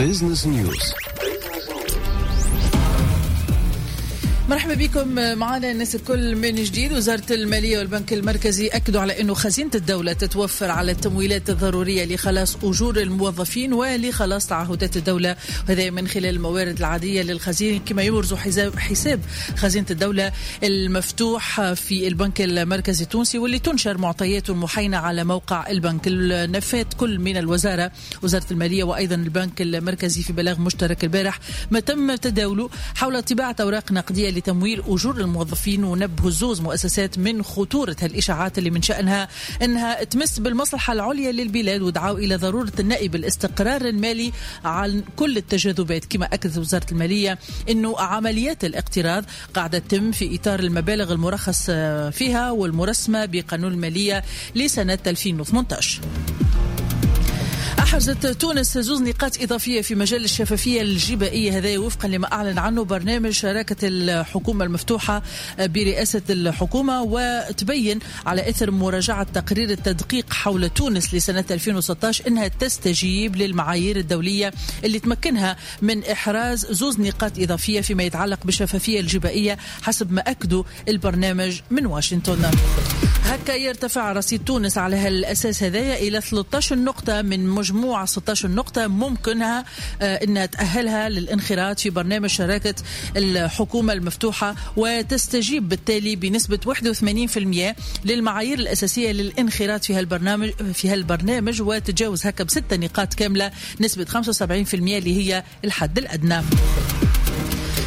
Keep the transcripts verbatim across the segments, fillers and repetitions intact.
Business News. مرحبا بكم معنا الناس الكل من جديد. وزارة المالية والبنك المركزي أكدوا على أنه خزينة الدولة تتوفر على التمويلات الضرورية لخلاص أجور الموظفين ولخلاص تعهدات الدولة، وهذا من خلال الموارد العادية للخزينة، كما يبرز حساب خزينة الدولة المفتوح في البنك المركزي التونسي واللي تنشر معطياته المحينة على موقع البنك. نفات كل من الوزارة، وزارة المالية وأيضا البنك المركزي في بلاغ مشترك البارح ما تم تداوله حول طباعة أوراق نقدية لتمويل أجور الموظفين، ونبهوا زوز مؤسسات من خطورة هالإشاعات اللي من شأنها أنها تمس بالمصلحة العليا للبلاد، ودعوا إلى ضرورة النأي بالاستقرار المالي عن كل التجاذبات. كما أكدت وزارة المالية أنه عمليات الاقتراض قاعدة تتم في إطار المبالغ المرخص فيها والمرسمة بقانون المالية لسنة ألفين وثمانية عشر. أحرزت تونس زوز نقاط إضافية في مجال الشفافية الجبائية، هذا وفقا لما أعلن عنه برنامج شراكة الحكومة المفتوحة برئاسة الحكومة، وتبين على إثر مراجعة تقرير التدقيق حول تونس لسنة ألفين وستة عشر أنها تستجيب للمعايير الدولية اللي تمكنها من إحراز زوز نقاط إضافية فيما يتعلق بالشفافية الجبائية حسب ما أكدوا البرنامج من واشنطن. هكا يرتفع رصيد تونس على هالأساس هذايا إلى ثلاثة عشر نقطة من مجموعة ستة عشر نقطة ممكنها أن تأهلها للانخراط في برنامج شراكة الحكومة المفتوحة، وتستجيب بالتالي بنسبة واحد وثمانين بالمئة للمعايير الأساسية للانخراط في هالبرنامج في هالبرنامج وتتجاوز هكا بستة نقاط كاملة نسبة خمسة وسبعين بالمئة اللي هي الحد الأدنى.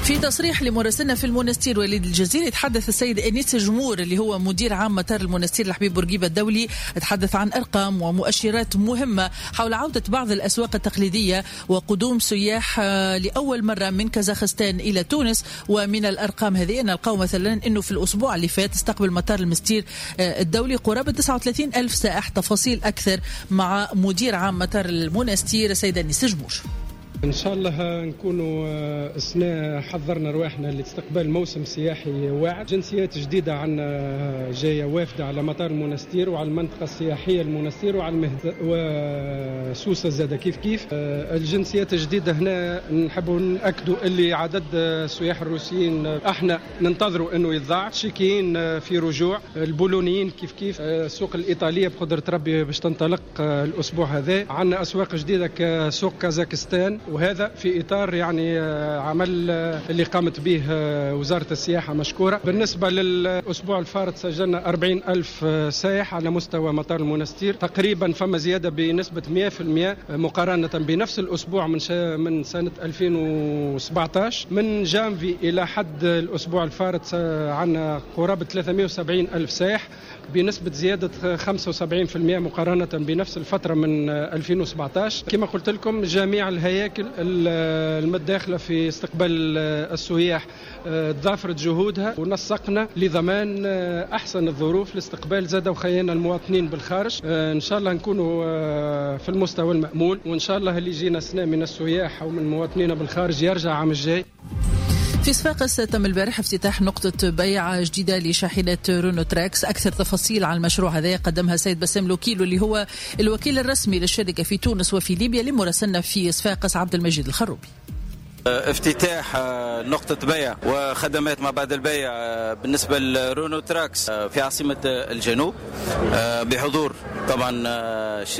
في تصريح لمراسلنا في المونستير وليد الجزيري، تحدث السيد أنيس جمور اللي هو مدير عام مطار المونستير الحبيب بورقيبة الدولي، تحدث عن أرقام ومؤشرات مهمة حول عودة بعض الأسواق التقليدية وقدوم سياح لأول مرة من كازاخستان إلى تونس. ومن الأرقام هذه نلقاو مثلا أنه في الأسبوع اللي فات استقبل مطار المستير الدولي قرابة تسعة وثلاثين ألف سائح. تفاصيل أكثر مع مدير عام مطار المونستير السيد أنيس جمور. إن شاء الله نكونوا السنة حضرنا رواحنا لاستقبال موسم سياحي واعد، جنسيات جديدة عنا جاية وافدة على مطار المونستير وعلى المنطقة السياحية المونستير وعلى المهد وسوسة زادة كيف كيف. الجنسيات الجديدة هنا نحبوا نأكدوا اللي عدد السياح الروسيين احنا ننتظروا انه يتضاعف، التشيكيين في رجوع، البولونيين كيف كيف، السوق الإيطالية بقدرة ربي باش تنطلق الأسبوع هذا. عندنا أسواق جديدة كسوق كازاخستان، وهذا في إطار يعني عمل اللي قامت به وزارة السياحة مشكورة. بالنسبة للأسبوع الفارط سجلنا أربعين ألف سائح على مستوى مطار المونستير تقريبا، فما زيادة بنسبة مئة بالمئة مقارنة بنفس الأسبوع من من سنة ألفين وسبعة عشر. من جانفي إلى حد الأسبوع الفارط عندنا قرابة ثلاثمئة وسبعين ألف سائح بنسبة زيادة خمسة وسبعين بالمئة مقارنة بنفس الفترة من ألفين وسبعة عشر. كما قلت لكم جميع الهياكل المتداخلة في استقبال السياح تضافرت جهودها ونسقنا لضمان أحسن الظروف لاستقبال زادة وخينا المواطنين بالخارج. إن شاء الله نكونوا في المستوى المأمول، وإن شاء الله اللي يجينا سنة من السياح أو من مواطنينا بالخارج يرجع عام الجاي. في صفاقس تم البارح افتتاح نقطة بيع جديدة لشاحنة رونو تراكس. أكثر تفاصيل عن المشروع هذا قدمها السيد بسام لوكيلو اللي هو الوكيل الرسمي للشركة في تونس وفي ليبيا لمراسلنا في صفاقس عبد المجيد الخروبي. افتتاح نقطة بيع وخدمات ما بعد البيع بالنسبة لرونو تراكس في عاصمة الجنوب بحضور طبعا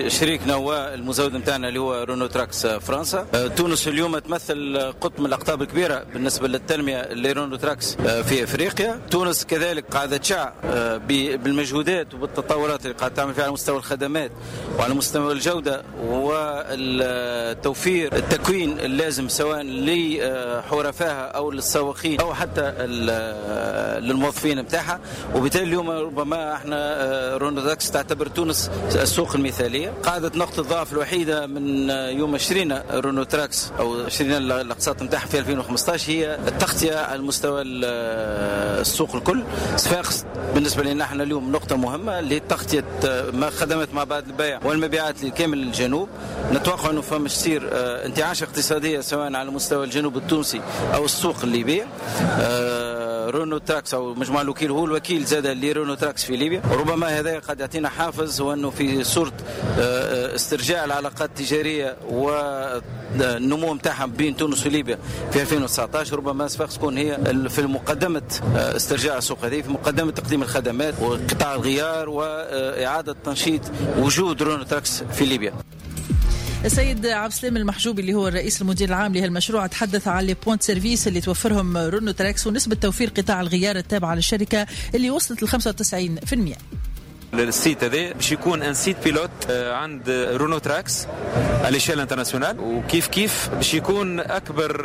شريكنا والمزود نتاعنا اللي هو رونو تراكس فرنسا. تونس اليوم تمثل قطب من الأقطاب الكبيرة بالنسبة للتنمية لرونو تراكس في أفريقيا. تونس كذلك قاعدة تشع بالمجهودات وبالتطورات اللي قاعدة تعمل فيها على مستوى الخدمات وعلى مستوى الجودة والتوفير التكوين اللازم سواء لحرفائها او للسواقين او حتى للموظفين نتاعها. وبالتالي اليوم ربما احنا رونو تراكس تعتبر تونس السوق المثالية. قاعدة نقطة الضعف الوحيدة من يوم شرينا رونو تراكس او شرينا الاقساط نتاعها في ألفين وخمسة عشر هي التغطية على مستوى السوق الكل. صفاقس بالنسبة لنا احنا اليوم نقطة مهمة لتغطيه ما خدمات ما بعد البيع والمبيعات لكامل الجنوب. نتوقع انه فما تصير انتعاش اقتصادية سواء على مستوى الجنوب التونسي أو السوق الليبي. رونو تراكس او مجمع الوكيل هو الوكيل زاد لرونو تراكس في ليبيا. ربما هذا قد يعطينا حافز وانه في صوره استرجاع العلاقات التجارية والنمو نتاعها بين تونس وليبيا في ألفين وتسعطاش، ربما صفاقس تكون هي في مقدمه استرجاع السوق هذه، في مقدمه تقديم الخدمات وقطاع الغيار واعاده تنشيط وجود رونو تراكس في ليبيا. السيد عبد السلام المحجوبي اللي هو الرئيس المدير العام لهالمشروع تحدث على les points service اللي توفرهم رونو تراكس ونسبة توفير قطاع الغيار التابعة للشركة اللي وصلت ل خمسة وتسعين بالمئة. ال site هذا باش يكون un site pilote عند رونو تراكس à l'échelle internationale، وكيف كيف باش يكون اكبر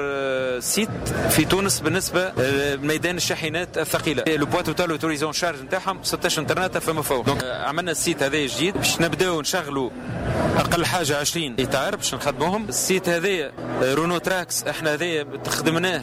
site في تونس بالنسبة لميدان الشاحنات الثقيلة. le poids total autorisé en charge نتاعهم ستة عشر طرناطه فما فوق. donc عملنا ال site هذا جديد باش نبداو نشغلوا اقل حاجة عشرين اطار باش نخدموهم. ال site هذا رونو تراكس احنا هذا خدمناه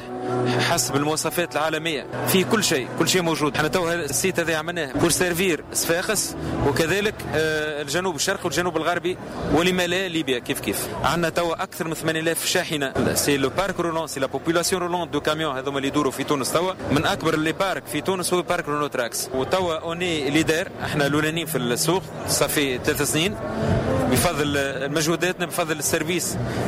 حسب المواصفات العالمية، فيه كل شيء، كل شيء موجود. احنا تو ال site هذا عملناه pour servir صفاقس وكذلك الجنوب الشرقي والجنوب الغربي ولما لا ليبيا كيف كيف. عندنا توا اكثر من ثمانية آلاف شاحنة. c'est le parc roulant، c'est la population roulante de camions هذوما اللي يدوروا في تونس توا. من اكبر les parcs في تونس هو parc رونو تراكس، وتوا on est leader، احنا الاولانيين في السوق ça fait ثلاث سنين بفضل مجهوداتنا، بفضل ال service،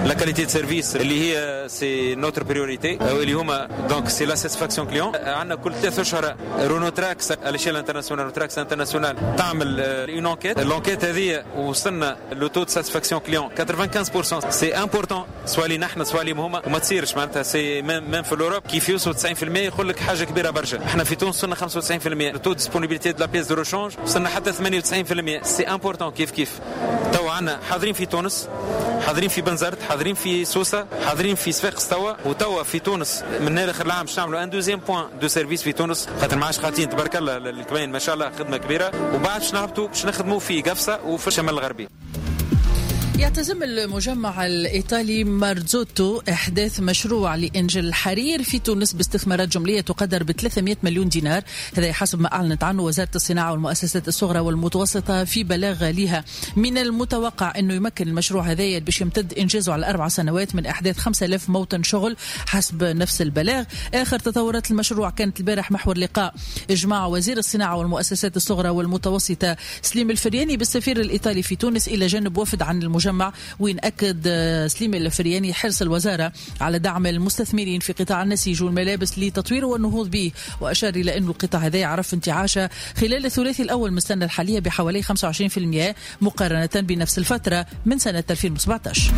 la qualité de service اللي هي c'est notre priorité، اللي هما donc c'est la satisfaction client. عندنا كل ثلاث اشهر رونو تراكس à l'échelle internationale، رونو تراكس internationale تعمل une enquête. l'enquête هذه وصلنا le taux de satisfaction client خمسة وتسعين بالمية. c'est important سواء لينا احنا سواء ليهم هما، وما تصيرش معناتها c'est même في l'Europe كيف يوصلوا تسعين بالمية يقول لك حاجة كبيرة برشا. احنا في تونس وصلنا خمسة وتسعين بالمية. taux disponibilité de la pièce de rechange وصلنا حتى ثمانية وتسعين بالمية. c'est important كيف كيف. تو عندنا حاضرين في تونس، حاضرين في بنزرت، حاضرين في سوسة، حاضرين في صفاقس توا، وتوا في تونس من اخر العام باش نعملوا un deuxième point de service في تونس، خاطر ما عادش خاطين تبارك الله الكباين ما شاء الله خدمة كبيرة. وبعد باش نهبطوا باش نخدموا في قفصه وفي الشمال الغربي. يعتزم المجمع الإيطالي مارزوتو إحداث مشروع لإنجل الحرير في تونس باستثمارات جملية تقدر ب ثلاثمئة مليون دينار، هذا حسب ما أعلنت عنه وزارة الصناعة والمؤسسات الصغرى والمتوسطة في بلاغ لها. من المتوقع أنه يمكن المشروع هذا باش يمتد إنجازه على أربع سنوات من إحداث خمسة آلاف موطن شغل حسب نفس البلاغ. آخر تطورات المشروع كانت البارح محور لقاء إجماع وزير الصناعة والمؤسسات الصغرى والمتوسطة سليم الفرياني بالسفير الإيطالي في تونس إلى جانب وفد عن المجمع، وين أكد سليم الفرياني حرص الوزارة على دعم المستثمرين في قطاع النسيج والملابس لتطويره والنهوض به، وأشار إلى أن القطاع هذا عرف انتعاشا خلال الثلاثي الأول من السنة الحالية بحوالي خمسة وعشرين بالمئة مقارنة بنفس الفترة من سنة ألفين وسبعة عشر.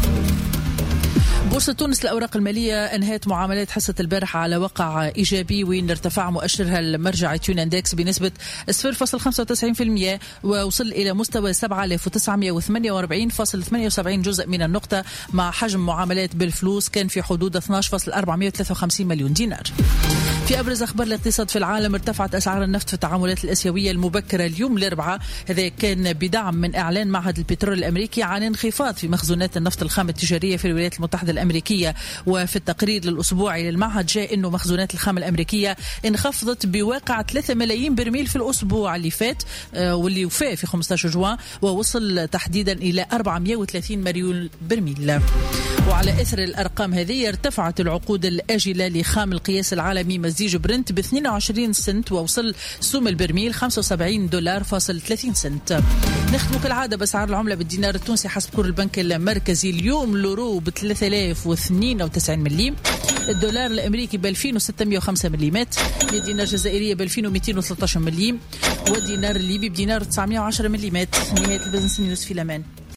بورصة تونس الأوراق المالية أنهت معاملات حصة البارحة على وقع إيجابي، وين ارتفع مؤشرها المرجع Tunindex بنسبة صفر فاصلة خمسة وتسعين بالمئة ووصل إلى مستوى سبعة آلاف وتسعمئة وثمانية وأربعين فاصلة ثمانية وسبعين جزء من النقطة، مع حجم معاملات بالفلوس كان في حدود اثنا عشر فاصلة أربعمئة وثلاثة وخمسين مليون دينار. في أبرز أخبار الاقتصاد في العالم، ارتفعت أسعار النفط في التعاملات الآسيوية المبكرة اليوم الأربعاء، هذا كان بدعم من إعلان معهد البترول الأمريكي عن انخفاض في مخزونات النفط الخام التجارية في الولايات المتحدة الأمريكية. وفي التقرير الأسبوعي للمعهد جاء أنه مخزونات الخام الأمريكية انخفضت بواقع ثلاثة ملايين برميل في الأسبوع اللي فات واللي وفى في خمسة عشر جوان، ووصل تحديدا إلى أربعمئة وثلاثين مليون برميل. وعلى إثر الأرقام هذه ارتفعت العقود الآجلة لخام القياس العالمي مزيج برنت ب اثنين وعشرين سنت، ووصل سوم البرميل خمسة وسبعين دولار فاصل ثلاثين سنت. نختم كالعادة بأسعار العملة بالدينار التونسي حسب cours البنك المركزي اليوم، l'euro ب ثلاثة آلاف واثنين وتسعين مليم، الدولار الأمريكي ب ألفين وستمئة وخمسة مليمات، الدينار الجزائرية ب ألفين ومئتين وثلاثة عشر مليم، والدينار الليبي بدينار تسعمئة وعشرة مليمات. نهاية ال Business News في الأمان.